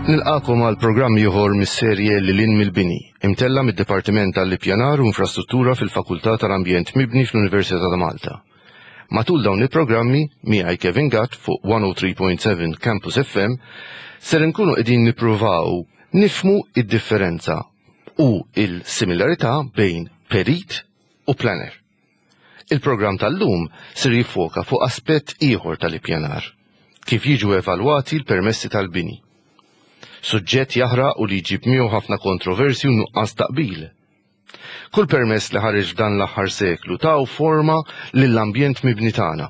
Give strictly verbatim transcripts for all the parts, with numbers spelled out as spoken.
Nilqagħkom għal programm ieħor mis-serje Lil Hinn mill-Bini, imtella' mid-Dipartiment tal-Ippjanar u Infrastruttura fil-Fakultà tal-Ambjent Mibni fl-Università ta' Malta. Matul dawn il-programmi, miegħi Kevin Gatt fuq mija u tlieta punt sebgħa Campus F M, ser nkunu qegħdin nippruvaw nifhmu id-differenza u il-similarità bejn perit u planner. Il-programm tal-lum ser jiffoka fuq aspett ieħor tal-ippjanar, kif jiġu evalwati l-permessi tal-bini. Suġġett jaħraq u li jġib miegħu ħafna kontroversi u nuqqas ta' qbil. Kull permess li ħareġ dan l-aħħar seklu taw forma lill-ambjent mibni tagħna.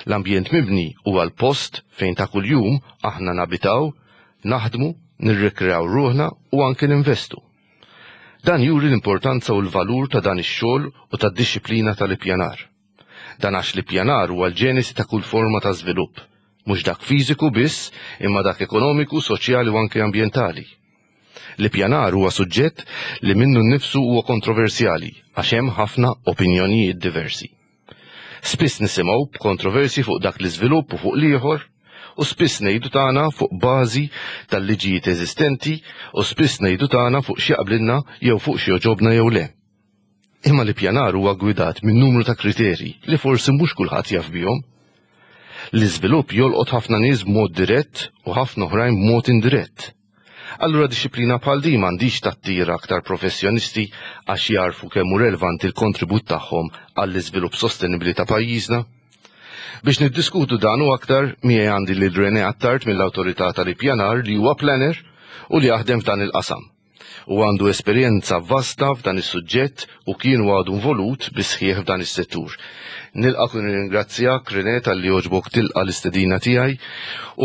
L-ambjent mibni huwa l-post fejn ta' kuljum aħna nabitaw, naħdmu, nirrikreaw ruħna u anke ninvestu. Dan juri l-importanza u l-valur ta' dan ix-xogħol u tad-dixxiplina tal-ippjanar. Dan għax l-ippjanar huwa l-ġenesi ta' kull forma ta' żvilupp, mhux dak fiżiku biss, imma dak ekonomiku, soċjali u anke ambjentali. L-ippjanar huwa suġġett li minnu nnifsu huwa kontroversjali għax hemm ħafna opinjonijiet diversi. Spiss nisimgħu b'kontroversi fuq dak l-iżvilupp u fuq l-ieħor, u spiss ngħidu tagħna fuq bażi tal-liġijiet eżistenti u spiss ngħidu tagħna fuq x'jaqblilna jew fuq x'joġobna jew le. Imma l-ippjanar huwa gwidat minn numru ta' kriterji li forsi mhux kulħadd jaf bihom. L-iżvilupp jolqot ħafna nies b'mod dirett u ħafna oħrajn b'mod indirett. Allura dixxiplina bħal din m'għandix tattira aktar professjonisti għax jarfu kemm hu relevanti l-kontribut tagħhom għall-iżvilupp sostenibbli ta' pajjiżna? Biex niddiskutu dan u aktar, miegħi għandi lil René Attard mill-Awtorità tal-Ippjanar, li huwa planner u li jaħdem f'dan il-qasam. U għandu esperjenza vasta f'dan is-suġġett u kien għadu involut bis-sħiħ f'dan is-settur. Nilqak u nirringrazzjak, René, talli għoġbok tilqa' l-istedina tiegħi,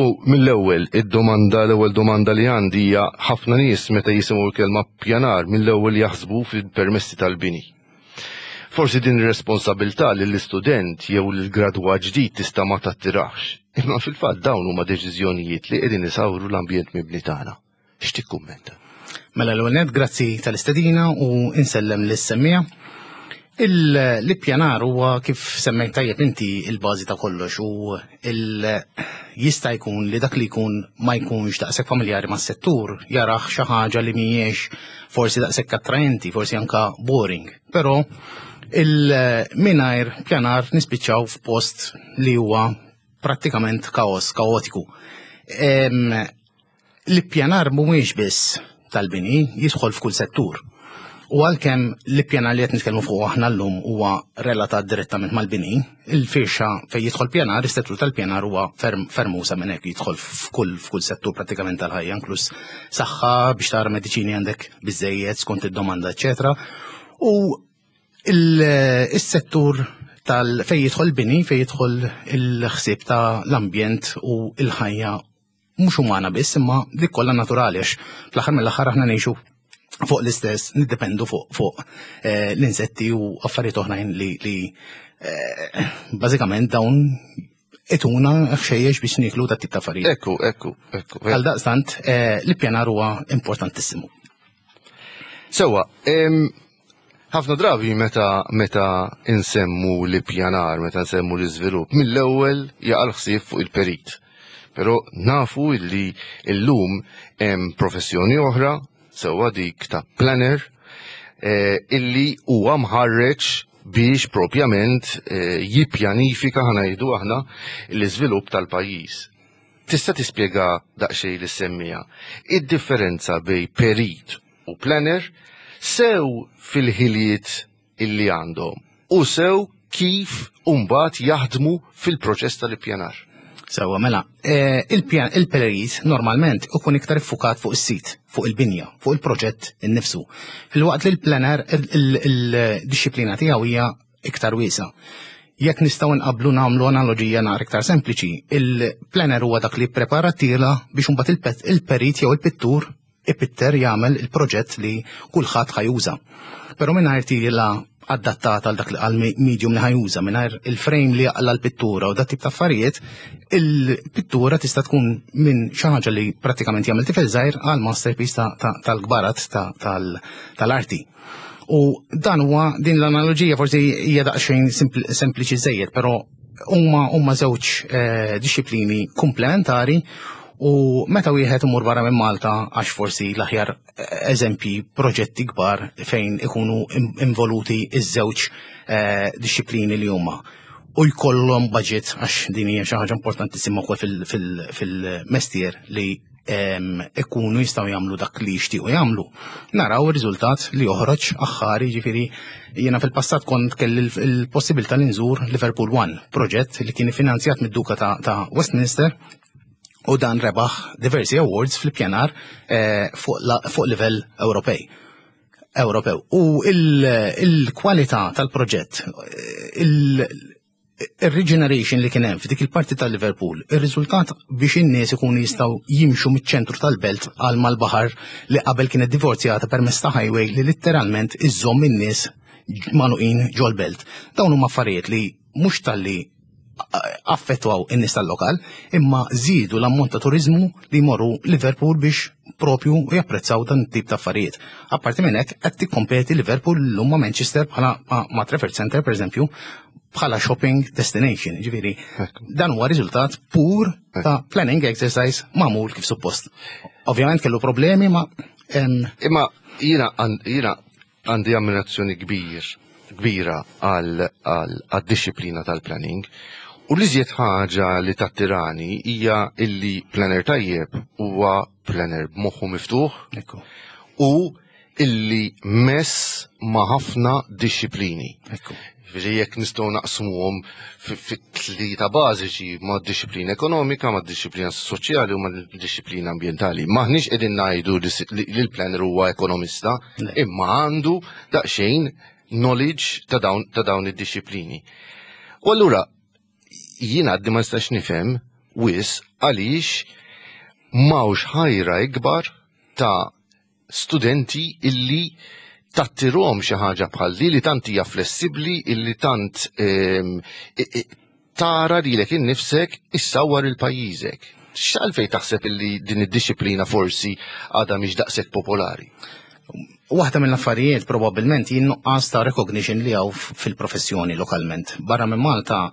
u mill-ewwel id-domanda l-ewwel domanda li għandi hija: ħafna nies meta jisimgħu l-kelma pjanar mill-ewwel jaħsbu fil-permessi tal-bini. Forsi din ir-responsabilità lill-istudent jew lill-gradwat ġdid tista' ma tattirax. Imma fil-fatt dawn huma deċiżjonijiet li qegħdin isawru l-ambjent mibni tagħna. X'tikkummenta? Mela, l-ewwel, grazzi tal-istedina u insellem lis-semmiegħa. L-ippjanar huwa, kif semmejt tajjeb inti, il-bażi ta' kollox u jista' jkun li dak li jkun ma jkunx daqshekk familjari mas-settur jarah xi ħaġa li mhijiex forsi daqshekk attraenti, forsi anka boring. Però il-mingħajr pjanar nispiċċaw f'post li huwa prattikament kaos, kaotiku. L-ippjanar mhuwiex biss tal-bini, jidħol f'kull settur. U għalkemm l-ippjanar li qed nitkellmu fuq aħna llum huwa relatat direttament mal-bini, il-firxa fejn jidħol pjanar, is-settur tal-pjanar huwa ferm ferm usa' minn hekk, jidħol f'kull f'kull settur prattikament tal-ħajja, inkluż saħħa, biex tara mediċini għandek biżejjed skont id-domanda, eċetera. U il-settur tal fejn jidħol bini, fejn jidħol il-ħsieb ta' l-ambjent u il-ħajja mhux umana biss, imma dik kollha naturali, għax fl-aħħar mill-aħħar aħna ngħixu fuq l-istess, niddependu fuq fuq eh, l-insetti u affarijiet oħrajn li, li eh, bażikament dawn ituna ħxejjex biex nieklu, dat tip ta' affarijiet. Ekku, ekku, ekku. Għal daqstant, eh, l-ippjanar huwa importantissimu. Sewwa, ħafna drabi meta meta insemmu l-ippjanar, meta nsemmu l-iżvilupp, mill-ewwel jaqa' l-ħsieb fuq il-perit. Però nafu illi illum hemm professjoni oħra, sewwa, dik ta' planner, eh, illi huwa mħarreġ biex propjament eh, jippjanifika, ħa ngħidu aħna, l-iżvilupp tal-pajjiż. Tista' tispjega daqsxejn lis-semmiegħa id-differenza bejn perit u planner, sew fil-ħiliet illi għandhom u sew kif mbagħad jaħdmu fil-proċess tal-ippjanar? Sewwa, mela, eh, il-pjan il-perit normalment ikun iktar iffukat fuq is-sit, fuq il-binja, fuq il-proġett innifsu. Filwaqt li l-planner il-dixxiplina tiegħu hija iktar wiesgħa. Jekk nistgħu nqablu, nagħmlu analogija naqra iktar sempliċi, il-planner huwa dak li prepara tila biex imbagħad il-perit jew il-pittur ipitter, jagħmel il-proġett li kulħadd ħa juża. Però mingħajr tila adattata għal dak għal medium li ħa juża, mingħajr il-frame li jaqla l-pittura u dat tip ta' affarijiet, il-pittura tista' tkun minn xi ħaġa li prattikament jagħmel tifel żgħir għal masterpiece tal-kbarat tal-arti. U dan huwa, din l-analogija forsi hija daqsxejn sempliċi żejjed, però huma huma żewġ eh, dixxiplini komplementari. U meta wieħed imur barra minn Malta, għax forsi l-aħjar eżempji proġetti kbar fejn ikunu involuti iż-żewġ eh, dixxiplini li huma u jkollhom budget, għax din hija xi ħaġa importantissima wkoll fil-mestier li ikunu jistgħu jagħmlu dak li jixtiequ jagħmlu. Naraw ir-riżultat li joħroġ aħħari. Ġifieri jiena fil-passat kont kelli l-possibilità li nżur Liverpool One, proġett li kien finanzjat mid-Duka ta' Westminster, u dan rebaħ diversi awards fil-pjanar eh, fuq livell Ewropej. Ewropew. U il-kwalità tal-proġett, il-regeneration li kien hemm f'dik il-parti tal-Liverpool, ir-riżultat biex in-nies ikunu jistgħu jimxu miċ-ċentru tal-belt għal mal-baħar li qabel kienet divorzjata permezz ta' highway li letteralment iżżomm in-nies magħluqin ġol-belt. Dawn huma affarijiet li mhux talli affettwaw in-nies tal-lokal, imma żiedu l-ammont ta' turizmu li jmorru Liverpool biex propju japprezzaw dan tip ta' affarijiet. Apparti minn hekk, qed tikkompeti Liverpool llum ma' Manchester bħala ma' Trafford Center, pereżempju, bħala shopping destination. Ġifieri, dan huwa riżultat pur ta' planning exercise magħmul kif suppost. Ovvjament kellu problemi ma' Imma jiena jiena għandi ammirazzjoni kbir kbira għal dixxiplina tal-planning. U li żjed ħaġa li tattirani hija illi planner tajjeb huwa planner b'moħħu miftuħ u illi mess ma' ħafna dixxiplini. Ġifieri jekk nistgħu naqsmuhom fit-tlieta bażiċi, ma' dixxiplina ekonomika, ma' dixxiplina soċjali u ma' dixxiplina ambjentali. Maħniex qegħdin ngħidu li l-planner huwa ekonomista, imma għandu daqsxejn knowledge ta' dawn ta' dawn id-dixxiplini. U allura jiena għaddi ma nistax nifhem wisq għaliex m'hawnx ħajra ikbar ta' studenti illi tattirhom xi ħaġa bħal di li tant hija flessibbli, illi tant ehm, tara lilek innifsek issawwar il-pajjiżek. X'għalfejn taħseb illi din id-dixxiplina forsi għadha mhix daqshekk popolari? Waħda mill-affarijiet probabbilment jien nuqqas ta' recognition li hawn fil-professjoni lokalment. Barra minn Malta,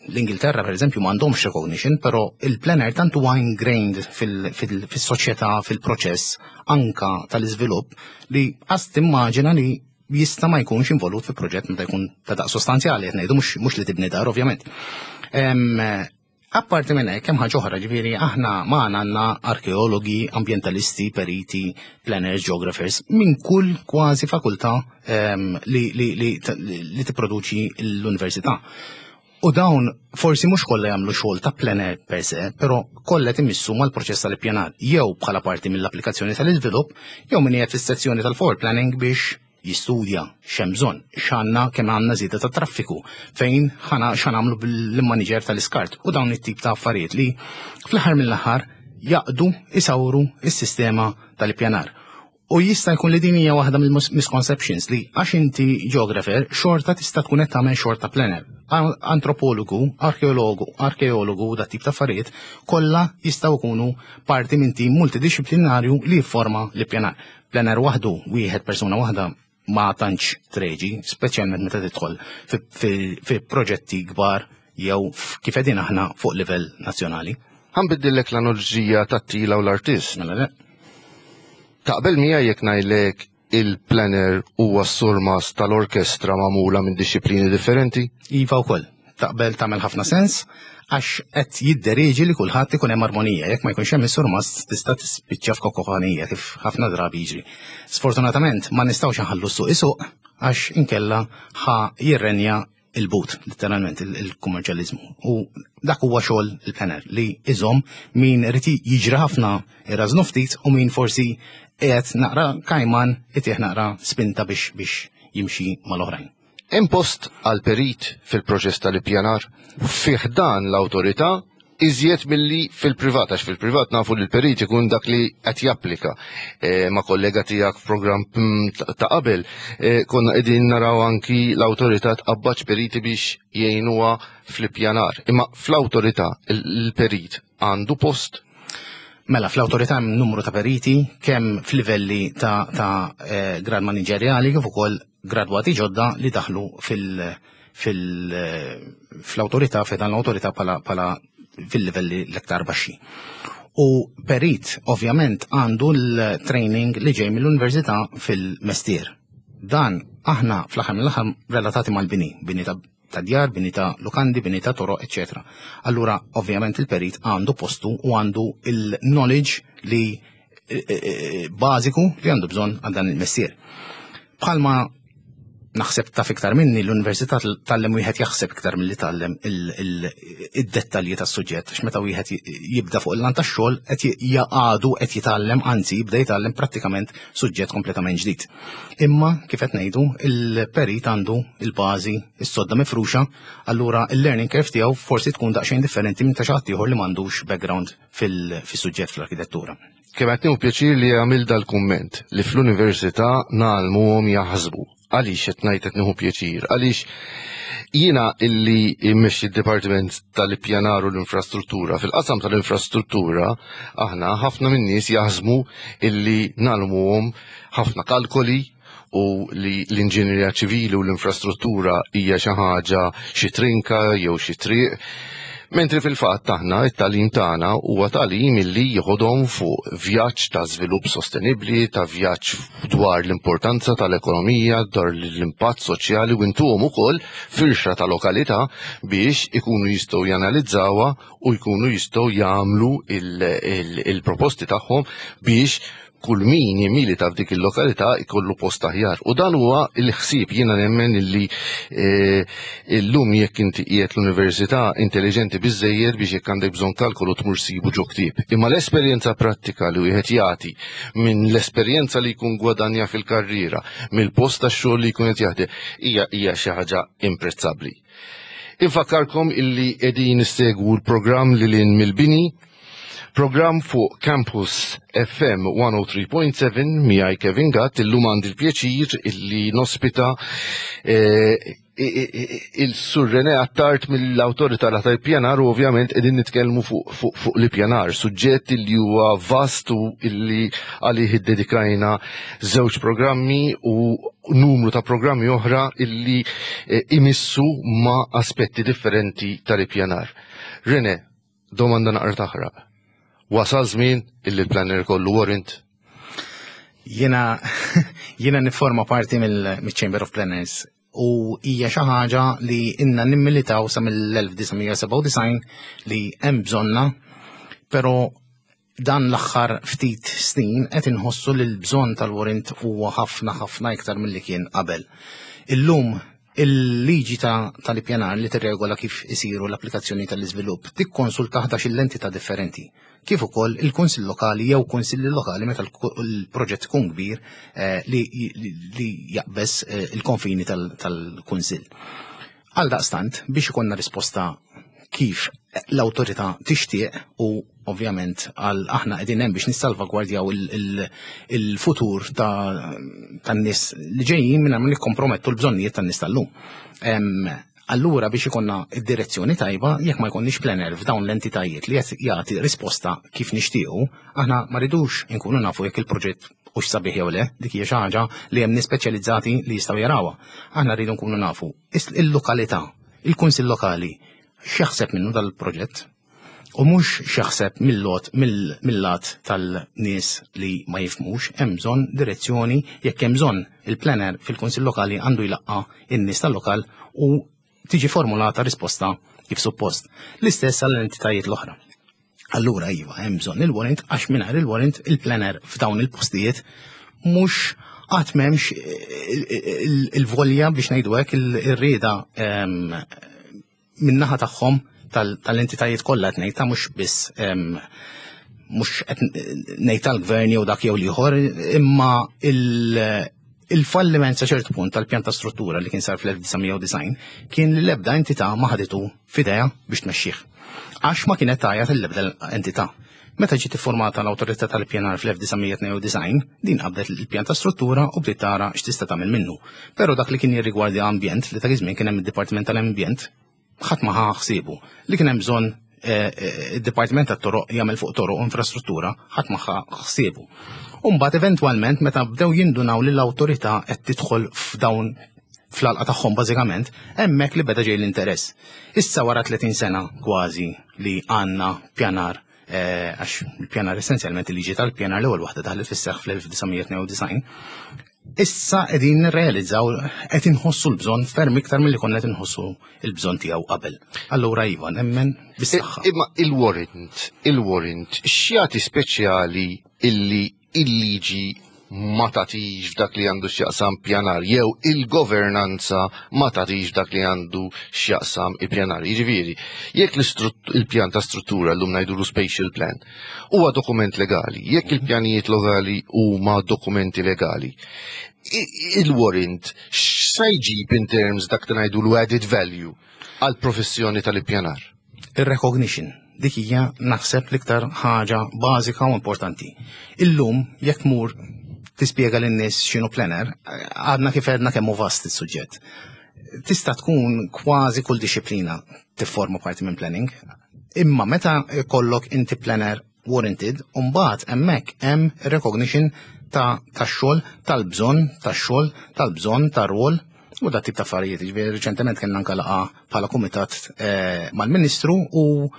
l-Ingilterra per eżempju, m'għandhomx recognition, però il-planner tant huwa ingrained fil-soċjetà, fil-proċess anka tal-iżvilupp, li qas timmaġina li jista' ma jkunx involut fi proġett meta jkun ta' daqs sostanzjali, qed ngħidu mhux li tibni dar, ovvjament. Apparti minn hekk, hemm ħaġa oħra, ġifieri aħna magħna għandna arkeologi, ambjentalisti, periti, planners, geographers minn kull kważi fakultà li, li, li, li tipproduċi l-università. U dawn forsi mhux kollha jagħmlu xogħol ta' planner per se, però kollha imissu mal-proċess tal-ippjanar jew bħala parti mill-applikazzjoni tal-iżvilupp jew min qiegħed fis-sezzjoni tal-forward planning biex jistudja x'hemm bżonn, x'għandna, kemm għandna żieda ta' traffiku, fejn ħana x'għamlu bil-manager tal-iskart u dawn it-tip ta' affarijiet li fl-aħħar mill-aħħar jaqdu isawru is-sistema tal-ippjanar. U jista' jkun li din hija waħda mill-misconceptions, li għax inti geographer xorta tista' tkun qed tagħmel xorta planner. Antropologu, arkeologu, arkeologu dat tip ta' affarijiet kollha jistgħu jkunu parti minn tim multidisciplinarju li jifforma l-ippjanar. Planner waħdu, wieħed, persuna waħda, ma tantx treġi, speċjalment meta tidħol fi proġetti kbar jew kif qegħdin aħna fuq livell nazzjonali. Ħa nbiddillek l-analoġija tat-tila u l-artist. Mela le. Taqbel miegħi jekk ngħidlek il-planner huwa s-surmas tal-orkestra magħmula minn dixxiplini differenti? Iva wkoll. Taqbel, tagħmel ħafna sens, għax qed jiddereġi li kulħadd ikun hemm armonija. Jekk ma jkunx hemm is-surmas, tista' tispiċċa f'kokofanija, kif ħafna drabi jiġri. Sfortunatament ma nistgħux nħallu s-suq isuq, għax inkella ħa jirrenja il-but, letteralment il-kummerċjaliżmu. U dak huwa xogħol il-planner li iżomm min irid jiġri ħafna irrażnu ftit u min forsi qiegħed naqra kajman itih naqra spinta biex biex jimxi mal-oħrajn. Hemm post għal perit fil-proċess tal-ippjanar fih dan l-awtorità iżjed milli fil-privat, għax fil-privat nafu li l-perit ikun dak li qed japplika. E, ma' kollega tiegħek f'programm mm, ta' qabel, e, konna qegħdin naraw anki l-awtorità tqabbaġ periti biex jgħinuha fl-ippjanar. Imma fl-awtorità il-perit għandu post? Mela, fl-awtorità hemm numru ta' periti, kemm f'livelli ta', ta eh, grad maniġerjali kif ukoll gradwati ġodda li daħlu fil- fil- fl-awtorità, fejn l-awtorità pala, pala fil-livelli l-aktar baxxi. U perit, ovvjament, għandu l-training li ġej mill-università fil-mestier. Dan aħna fl-aħħar mill-aħħar relatati mal-bini, bini ta' ta' djar, bini ta' lukandi, bini ta' toroq, eċċetera. Allura, ovvjament, il-perit għandu postu u għandu il-knowledge li eh, eh, bażiku li għandu bżonn għal dan il-mestier. Bħalma naħseb taf iktar minni, l-università tgħallem wieħed jaħseb iktar milli tgħallem id-dettalji tas-suġġett, għax meta wieħed jibda fuq il-lant tax-xogħol qed jaqadu qed jitgħallem, anzi jibda jitgħallem prattikament suġġett kompletament ġdid. Imma kif qed ngħidu, il-perit għandu il-bażi, is-sodda mifruxa, allura il-learning curve tiegħu forsi tkun daqsxejn differenti minn ta' xi ħadd ieħor li m'għandux background fil-suġġett fl-arkitettura. Kemm qed nieħu pjaċir li għamil dal-kumment li fl-università ngħallmuhom jaħsbu. Għaliex qed ngħid qed nieħu pjaċir? Għaliex jiena illi immexxi d-Dipartiment tal-Ippjanar u l-Infrastruttura, fil-qasam tal-infrastruttura aħna ħafna min-nies jaħsbu illi ngħallmuhom ħafna kalkoli u li l-inġinerija ċivili u l-infrastruttura hija xi ħaġa, xi trinka jew xi triq. Mentri fil-fatt aħna it-tagħlim tagħna huwa tagħlim illi jieħodhom fuq vjaġġ ta' żvilupp sostenibbli, ta' vjaġġ dwar l-importanza tal-ekonomija, dwar l-impatt soċjali, u intuhom ukoll firxa ta' lokalità biex ikunu jistgħu janalizzawha u jkunu jistgħu jagħmlu il-proposti tagħhom biex kull min jimilita f'dik il-lokalità ikollu post aħjar. U dan huwa l-ħsieb. Jiena nemmen illi eh, illum jekk inti qiegħed l-università, intelligenti biżejjed biex jekk għandek bżonn kalkolu tmur sibu ġo ktieb. Imma l-esperjenza prattika li wieħed jagħti minn l-esperjenza li jkun gwadanja fil-karriera, mill-post tax-xogħol li jkun qed jaħdem, hija hija xi ħaġa imprezzabbli. Infakkarkom illi qegħdin issegwu l-programm Lil Hinn mill-Bini, program fuq Campus F M mija u tlieta punt seba' miegħi Kevin Gatt. Illum għandi l-pjaċir illi nospita eh, il-Sur Rene Attard mill-Awtorità tal-Ippjanar u ovvjament qegħdin nitkellmu fuq fuq fuq l-ippjanar, suġġett illi huwa vast u illi għalih iddedikajna żewġ programmi u numru ta' programmi oħra illi eh, imissu ma' aspetti differenti tal-ippjanar. Rene, domanda naqra taħraq. Wasal żmien illi l-planner ikollu warrant? Jiena jiena niforma parti mill-Chamber of Planners u hija xi ħaġa li inna nimmilitaw sa mill-elf disa' mija sebgħa u disgħin li hemm bżonna, però dan l-aħħar ftit snin qed inħossu li l-bżonn tal-warrant huwa ħafna ħafna iktar milli kien qabel. Illum il-liġi ta' tal-ippjanar li tirregola kif isiru l-applikazzjoni tal-iżvilupp tikkonsulta ħdax-il entità differenti, kif ukoll il-kunsill lokali jew kunsilli lokali meta l-proġett ikun kbir eh, li, li jaqbeż eh, il-konfini tal-kunsill. Għal daqstant, biex ikollna risposta kif l-awtorità tixtieq u ovvjament għal aħna qegħdin hemm biex nissalvagwardjaw il-futur tan-nies li ġejjin minn ma nikkompromettu l-bżonnijiet tan-nies tal-lum. Allura biex ikonna id-direzzjoni tajba, jekk ma jkollniex planner f'dawn l-entitajiet li qed jagħti risposta kif nixtiequ, aħna ma ridux inkunu nafu jekk il-proġett hux sabiħ jew le, dik hija xi ħaġa li hemm nies speċjalizzati li jistgħu jarawha. Aħna rridu nkunu nafu il-lokalità, il-kunsill lokali, x'jaħseb minnu dal-proġett u mhux x'jaħseb mill-lot mill-lat tal-nies li ma jifhmux. Hemm bżonn direzzjoni. Jekk hemm bżonn, il-planner fil-kunsill lokali għandu jlaqqa in-nies tal-lokal u tiġi formulata risposta kif suppost. L-istess għall-entitajiet l-oħra. Allura iva, hemm bżonn il-warrant, għax mingħajr il-warrant il-planner f'dawn il-postijiet mhux qatt m'hemmx il-volja, biex ngħidu hekk, il-rieda min-naħa tagħhom tal-entitajiet kollha qed ngħid ta' mhux biss, mhux qed ngħid tal-gvern jew dak jew l-ieħor, imma il-falliment sa ċertu punt tal-pjan ta' struttura li kien sar fl-elf disa' mija u disgħin kien li l-ebda entità ma ħaditu f'idejha biex tmexxih. Għax ma kienet tajat l-ebda entità. Meta ġiet iffurmata l-Awtorità tal-Ippjanar fl-elf disa' mija tnejn u disgħin, din qabdet il-pjan ta' struttura u bdiet tara x'tista' tagħmel minnu. Però dak li kien jirrigwardja ambjent, li ta' żmien kien hemm id-Dipartiment tal-Ambjent, ħadd ma ħa ħsiebu. Li kien hemm bżonn eh, eh, id-Dipartiment tat-Toroq jagħmel fuq toroq u infrastruttura, ħadd ma ħa ħsiebu. U mbagħad eventwalment meta bdew jindunaw li l-awtorità qed tidħol f'dawn fl-għalqa tagħhom bażikament, hemmhekk li beda ġej l-interess. Issa wara tletin sena kważi li għandna pjanar eh, għax il-pjanar, essenzjalment il-liġi tal-pjanar l-ewwel waħda daħlet fis-seħħ fl-elf disa' mija tnejn u disgħin, issa qegħdin nirrealizzaw, qed inħossu l-bżonn ferm iktar milli konna qed inħossu l-bżonn tiegħu qabel. Allura iva, nemmen bis-saħħa. Imma il-warrant, il-warrant, x'jagħti speċjali illi il-liġi ma tagħtix f'dak li għandu x'jaqsam pjanar, jew il-governanza ma tagħtix f'dak li għandu x'jaqsam il-pjanar? Jiġifieri, jekk il-pjan ta' struttura, llum ngħidulu spatial plan, huwa dokument legali, jekk il-pjanijiet lokali huma dokumenti legali, il-warrant x'sa jġib in terms dak li ngħidulu added value għal professjoni tal-ippjanar? Il-recognition, dik hija naħseb l-iktar ħaġa bażika u importanti. Illum jekk mur tispjega lin-nies x'inhu planner, għadna kif għedna kemm hu vast is-suġġett. Tista' tkun kważi kull disciplina tifforma parti minn planning, imma meta kollok inti planner warranted, mbagħad hemmhekk hemm recognition ta' tax-xogħol, tal-bżonn tax-xogħol, tal-bżonn tar-rwol u dat tip ta' affarijiet. Ġifieri reċentement kellna anke laqgħa bħala kumitat eh, mal-Ministru u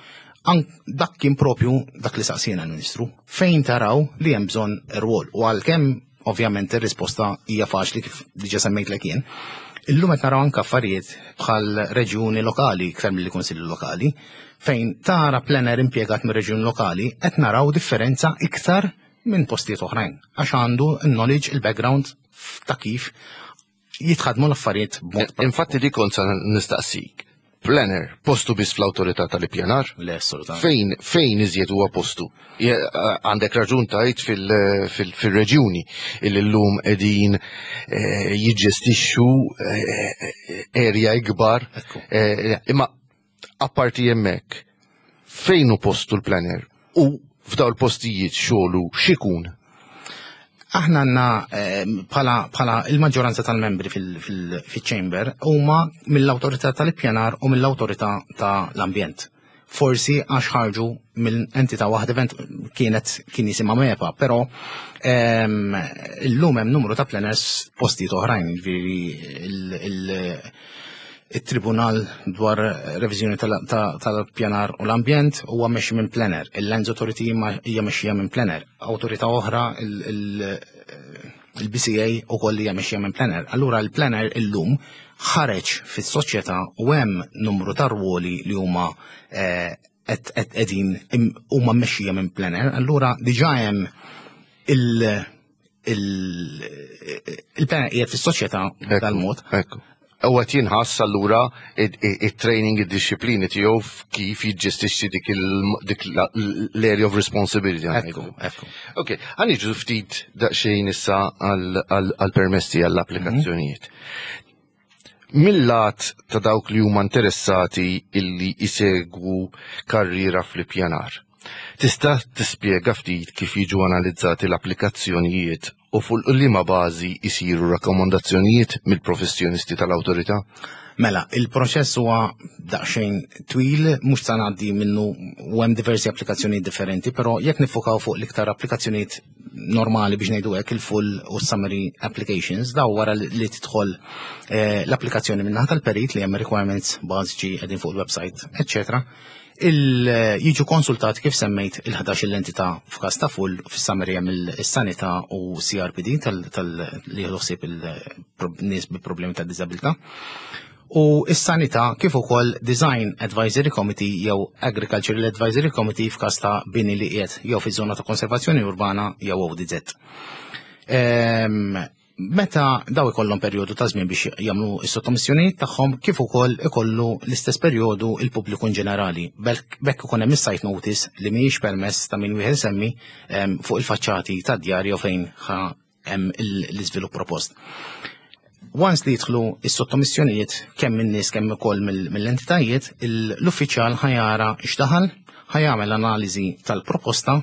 dak kien propju dak li saqsina l-Ministru. Fejn taraw li hemm bżonn rwol? U għalkemm ovvjament ir-risposta hija faċli, kif diġà semmejtlek jien, illum qed naraw anke affarijiet bħal reġjuni lokali iktar milli kunsilli lokali, fejn tara planner impjegat mir-reġjun lokali qed naraw differenza iktar minn postijiet oħrajn għax għandu il-knowledge, il-background ta' kif jitħadmu l-affarijiet b'mod. Infatti di kont sa nistaqsik. Planner, postu biss fl-awtorità tal-ippjanar? Le, assolutament. Fejn, fejn iżjed huwa postu? Għandek raġun tajt fil-reġjuni illi llum qegħdin eh, jiġġestixxu eh, area ikbar. Eh, imma apparti hemmhekk, fejn hu postu l-planner? U f'daw l-postijiet xogħlu x'ikun? Aħna għandna bħala bħala il-maġġoranza tal-membri fil-chamber huma mill-awtorità tal-ippjanar u mill-awtorità tal-ambjent. Forsi għax ħarġu mill entità waħda event kienet kien jisimha MEPA, però illum hemm numru ta' planners postijiet oħrajn, ġifieri il-Tribunal dwar reviżjoni tal-pjanar u l-ambjent huwa mexxi minn planner, il-Lands Authority hija mexxija minn planner, awtorità oħra, il-B C A, ukoll hija mexxija minn planner. Allura il-planner illum ħareġ fis-soċjetà u hemm numru ta' rwoli li huma qegħdin huma mmexxija minn planner. Allura diġà hemm il- il-planner qiegħed fis-soċjetà dal-mod. Ekku. U għat jinħass allura il-training, id-disciplini tiegħu kif jiġġestixxi dik l-area of responsibility. Ekku, ekku. Ok, ħa niġu ftit daqsxejn issa għal-permessi, għall-applikazzjonijiet. Mill-lat ta' dawk li huma interessati illi jisegwu karriera fl-ippjanar, tista' tispjega ftit kif jiġu analizzati l-applikazzjonijiet u fuq liema bażi jisiru rakkomandazzjonijiet mill-professjonisti tal-awtorità? Mela, il-proċess huwa daqsxejn twil, mhux se ngħaddi minnu u hemm diversi applikazzjonijiet differenti, però jekk nifukaw fuq l-iktar applikazzjonijiet normali, biex ngħidu hekk, il-full u summary applications, daw wara li tidħol eh, l-applikazzjoni minn tal-perit li hemm requirements bażiċi qegħdin fuq il-website, eccetera, il jiġu konsultati, kif semmejt, il-ħdax l-entità f'każ ta' full, fis-summary hemm il-sanità u C R P D tal li jieħdu ħsieb il-nies bi problemi ta' diżabilità. U is-sanità kif ukoll Design Advisory Committee jew Agricultural Advisory Committee f'każ ta' bini li qiegħed jew fiż-żona ta' konservazzjoni urbana jew O D Z. Ehm, meta daw ikollhom perjodu ta' żmien biex jagħmlu s-sottomissjonijiet tagħhom, kif ukoll ikollu l-istess perjodu il-pubbliku in ġenerali. Bekk ikun hemm is-site notice li mhijiex permess ta' min wieħed semmi fuq il-faċċati ta' djar jew fejn hemm l-iżvilupp propost. Once li jidħlu is-sottomissjonijiet kemm min-nies kemm ukoll mill-entitajiet, l-uffiċjal ħa jara x'daħal, ħa jagħmel analiżi tal-proposta,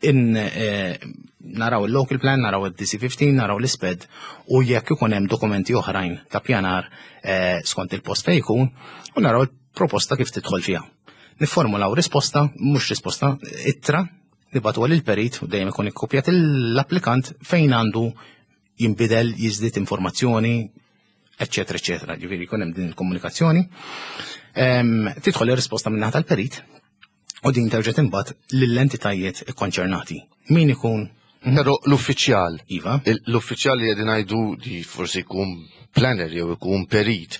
in eh, naraw il-local plan, naraw il-D C fifteen, naraw l-SPED u jekk ikun hemm dokumenti oħrajn ta' pjanar eh, skont il-post fejn jkun, u naraw il-proposta kif tidħol fiha. Niformulaw risposta, mhux risposta, ittra, nibagħtu il-perit u dejjem ikun ikkopjat l-applikant fejn għandu jinbidel, jiżdied informazzjoni, eccetera, eccetera. Ġifieri jkun hemm din il-komunikazzjoni. Tidħol ir-risposta minn tal-perit. U din terġa' tinbagħat lill-entitajiet ikkonċernati. Min ikun Però l-uffiċjal, Iva. l-uffiċjal li qegħdin ngħidu li forsi jkun planner jew ikun perit,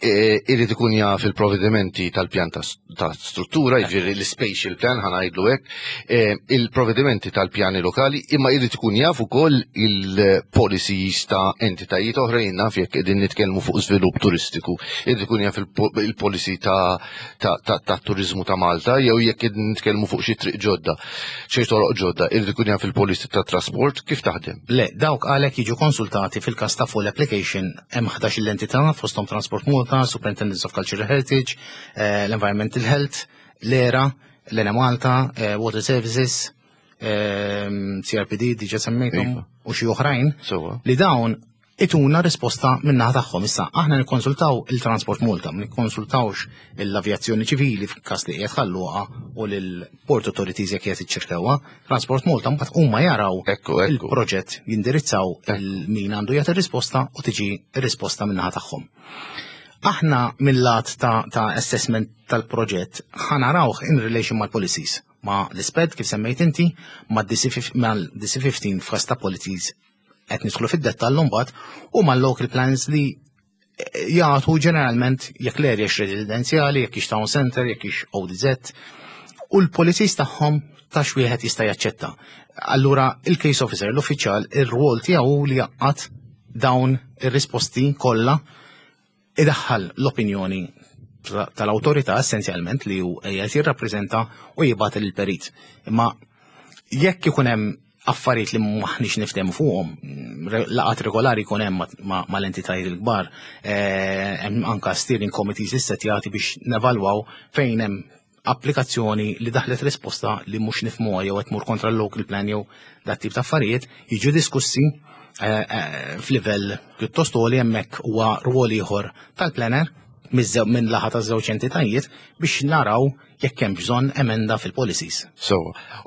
e, irid ikun jaf il-provvedimenti tal-pjan ta' struttura, jiġifieri l-spatial plan, ħa ngħidlu hekk, e, il-provvedimenti tal-pjani lokali, imma irid ikun jaf ukoll il-policies ta' entitajiet oħrajn, naf, jekk qegħdin nitkellmu fuq żvilupp turistiku, irid ikun jaf il-policy ta' ta' turizmu ta' Malta, jew jekk qegħdin nitkellmu fuq xi triq ġodda, xi toroq ġodda, irid ikun jaf il-policy ta' trasport. Kif taħdem? Le, dawk għalhekk jiġu konsultati fil-każ ta' full application. Hemm ħdax l-entità, fosthom Transport Malta, Superintendence of Cultural Heritage, eh, l-Environmental Health, l-ERA, l-Enemalta, eh, Water Services, eh, C R P D, diġa semmejthom, iva, u xi oħrajn, li dawn ituna risposta min-naħa tagħhom. Issa, aħna nikkonsultaw il-Transport Malta, ma nikkonsultawx l-avjazzjoni ċivili f'każ li qiegħed Ħal Luqa u l-Port Authorities jekk qiegħed iċ-Ċirkewwa. Transport Malta, mbagħad huma jaraw il-proġett, jindirizzaw min għandu jagħti risposta u tiġi risposta min-naħa tagħhom. Aħna mill-lat ta', ta assessment tal-proġett ħa narawh in relation mal-policies, ma l-SPED kif semmejt inti, ma D C ħmistax f'każ ta' policies qed nidħlu fid-dettall mbagħad, u mal-local plans li jagħtu ġeneralment jekk l-area residenzjali, jekk ix town center, jekk ix O D Z, u l-policies tagħhom ta' x'wieħed jista' jaċċetta. Allura il-case officer, l-uffiċjal, ir-rwol tiegħu li jgħaqqad dawn ir-risposti kollha, idaħħal l-opinjoni tal-awtorità essenzjalment li hu qiegħed jirrappreżenta u jibgħat il-perit. Imma jekk ikun hemm affarijiet li maħniex niftehmu fuqhom, laqgħat regolari jkun hemm mal-entitajiet il-kbar, eh, hemm anka steering committees issettjati biex nevalwaw fejn hemm applikazzjoni li daħlet risposta li mhux nifhmuha jew qed tmur kontra l-local plan jew dat tip ta' affarijiet, jiġu diskussi eh, eh, f'livell pjuttost għoli. Hemmhekk huwa rwol ieħor tal-planner minn naħa ta' żewġ entitajiet biex naraw jekk hemm bżonn emenda fil-policies. So,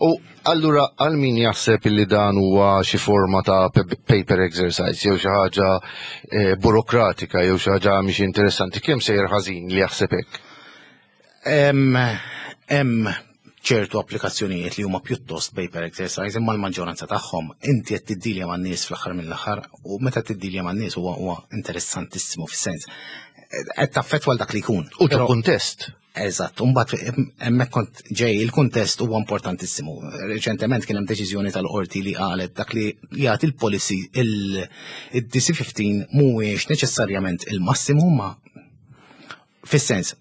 u allura għal min jaħseb li dan huwa xi forma ta' paper exercise jew xi ħaġa eh, burokratika jew xi ħaġa mhix interessanti, kemm sejjer ħażin li jaħseb hekk? Hemm ċertu applikazzjonijiet li huma pjuttost paper exercise, imma l-maġġoranza tagħhom inti qed tiddilja man-nies fl-aħħar mill-aħħar, u meta tiddilja man-nies huwa huwa interessantissimu, fis-sens qed taffettwa dak li jkun. U ġo kuntest. Eżatt, u mbagħad hemmhekk kont ġej, il-kuntest huwa importantissimu. Reċentement kien hemm deċiżjoni tal-qorti li qalet dak li jagħti il-policy, il-D C ħmistax mhuwiex neċessarjament il-massimu, ma fis-sens,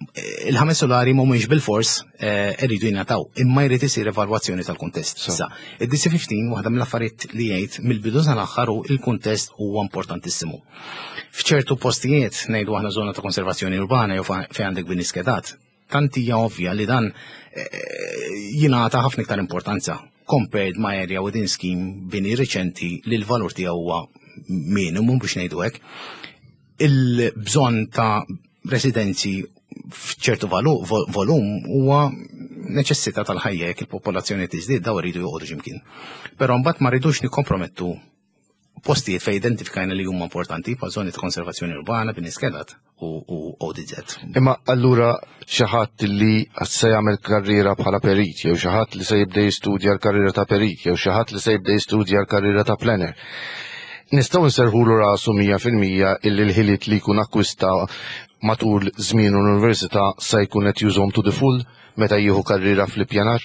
il-ħames solari mhumiex bil-fors eh, irridu jingħataw, imma jrid isir evalwazzjoni tal-kuntest. Issa, id-D C ħmistax waħda mill-affarijiet li jgħid mill-bidu sal-aħħar hu il-kuntest huwa importantissimu. F'ċertu postijiet, ngħidu aħna żona ta' konservazzjoni urbana jew fejn għandek bini skedat, tant hija ovvja li dan eh, jingħata ħafna iktar importanza compared ma' area within scheme, bini riċenti li l-valur tiegħu huwa minimum, biex ngħidu hekk. Il-bżonn ta' residenzi f'ċertu volum huwa neċessità tal-ħajja. Jekk il-popolazzjoni tiżdied, daw iridu joqogħdu x'imkien. Però mbagħad ma rridux nikkompromettu postijiet fej identifikajna li huma importanti bħal żoni ta' konservazzjoni urbana, bini skedat u, u O D Z. Imma allura xi ħadd li se jagħmel karriera bħala perit, jew xi ħadd li se jibda jistudja l-karriera ta' perit, jew xi ħadd li se jibda jistudja l-karriera ta' planner, nistgħu nserħulu rasu mija fil-mija illi l-ħiliet li jkun akkwista matul żmien l-università se jkun qed jużhom to the full meta jieħu karriera fl-ippjanar?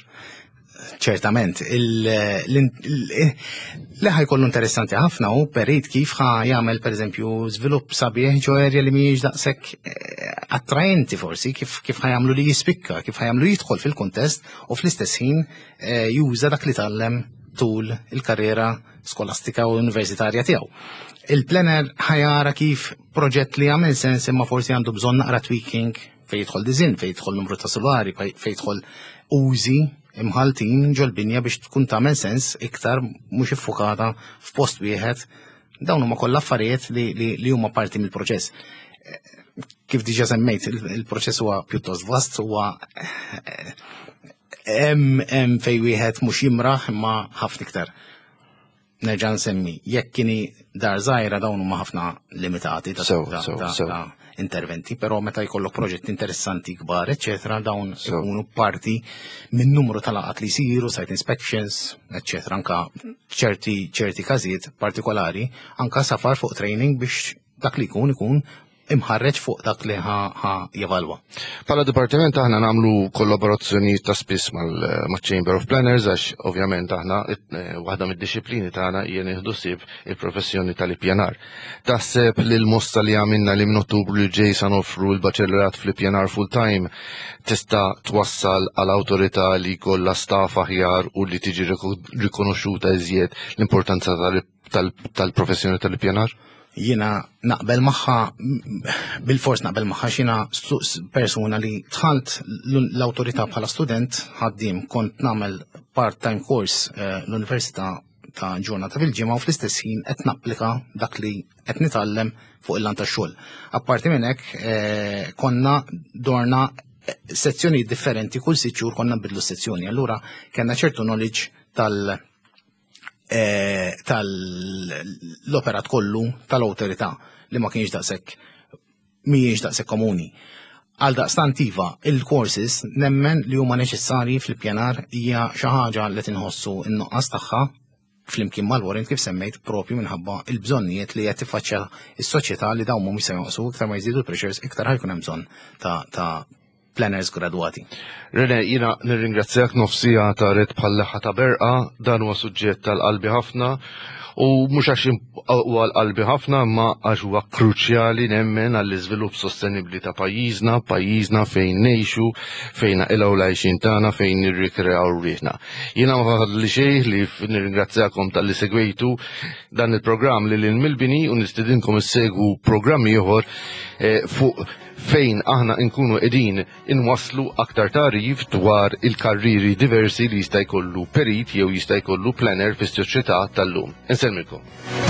Ċertament, li ħa jkollu interessanti ħafna u perit kif ħa jagħmel, per eżempju, żvilupp sabiħ ġo area li mhijiex daqshekk eh, attraenti forsi, kif kif ħa jagħmlu li jispikka, kif ħa jagħmlu jidħol fil-kuntest u fl-istess ħin eh, juża dak li tgħallem tul il-karriera skolastika u universitarja tiegħu. Il-planner ħa jara kif proġett li jagħmel sens imma forsi għandu bżonn naqra tweaking fejn jidħol design, fejn jidħol numru ta' solari, fejn jidħol użi imħaltin ġol-binja biex tkun tagħmel sens iktar, mhux iffukata f'post wieħed. Dawn huma kollha affarijiet li, li, li huma parti mill-proċess. Kif diġà semmejt, il-proċess huwa pjuttost vast, huwa hemm hemm fejn wieħed mhux jimraħ, imma ħafna iktar. Nerġa' nsemmi, jekk kini dar żgħira, dawn huma ħafna limitati ta' Sew, ta' sew, ta' sew. ta' interventi, però meta jkollok proġetti interessanti kbar, eċetera, dawn Sew. ikunu parti minn numru ta' laqgħat li jsiru, site inspections, eċetera, anka ċerti ċerti każijiet partikolari, anka safar fuq training biex dak li jkun ikun imħarreġ fuq dak li ħa ħa jevalwa. Bħala dipartiment aħna nagħmlu kollaborazzjoni ta' spiss mal-Chamber of Planners, għax ovvjament aħna eh, waħda mid-disciplini tagħna hija nieħdu ħsieb il-professjoni tal-ippjanar. Taħseb li l-mossa li għamilna li minn Ottubru li ġej sa noffru l-baċellerat fl-ippjanar full time tista' twassal għal awtorità li jkollha staff aħjar u li tiġi riko- rikonoxxuta iżjed l-importanza tal- tal- tal-professjoni tal-ippjanar? Jiena naqbel magħha, bil-fors naqbel magħha. Jiena persuna li dħalt l-awtorità bħala student ħaddim, kont nagħmel part-time course eh, l-università ta' ġurnata fil-ġimgħa u fl-istess ħin qed napplika dak li qed nitgħallem fuq il-lant tax-xogħol. Apparti minn hekk, eh, konna dorna sezzjoni differenti, kull sitt xhur konna nbidlu sezzjoni. Allura kellna ċertu knowledge tal- eh, tal-operat kollu tal-awtorità li ma kienx daqshekk mhijiex daqshekk komuni. Għal daqstant iva, il-courses nemmen li huma neċessarji fl-ippjanar, hija xi ħaġa li tinħossu n-nuqqas tagħha flimkien mal-warrant kif semmejt, propju minħabba il-bżonnijiet li qed tiffaċċja s-soċjetà, li dawn mhumiex se jonqsu. Iktar ma jżidu l-pressures, iktar ħa jkun hemm bżonn ta' ta' planners gradwati. Rene, jiena nirringrazzjak, nofs siegħa taret bħal leħħa ta' berqa. Dan huwa suġġett tal-qalbi ħafna u mhux għax huwa l-qalbi ħafna, ma għax huwa kruċjali nemmen għall-iżvilupp sostenibbli ta' pajjiżna, pajjiżna fejn ngħixu, fejn naqilgħu l-għajxien tagħna, fejn nirrikreaw rwieħna. Jiena ma fadli xejn li nirringrazzjakom talli segwejtu dan il-programm Lil Hinn mill-Bini u nistedinkom issegwu programmi ieħor eh, fuq fejn aħna nkunu qegħdin inwaslu aktar tagħrif dwar il-karriri diversi li jista' jkollu perit jew jista' jkollu planner fis-soċjetà tal-lum. Insellmilkom.